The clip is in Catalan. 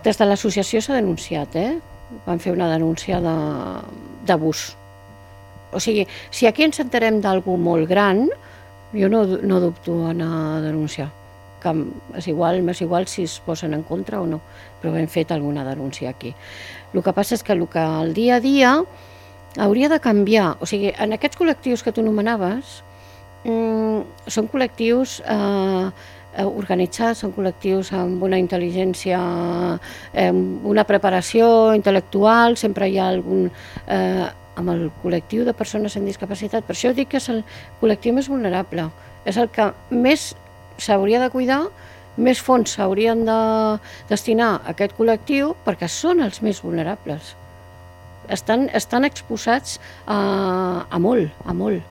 Des de l'associació s'ha denunciat, van fer una denúncia d'abús. O sigui, si aquí ens enterem d'algú molt gran, jo no dubto a anar a denunciar. Que és igual si es posen en contra o no, però hem fet alguna denúncia aquí. El que passa és que el dia a dia hauria de canviar. O sigui, en aquests col·lectius que tu anomenaves, són col·lectius organitzats, són col·lectius amb una intel·ligència, una preparació intel·lectual, sempre hi ha algun... amb el col·lectiu de persones amb discapacitat. Per això dic que és el col·lectiu més vulnerable. És el que més s'hauria de cuidar, més fons s'haurien de destinar a aquest col·lectiu perquè són els més vulnerables. Estan exposats a molt, a molt.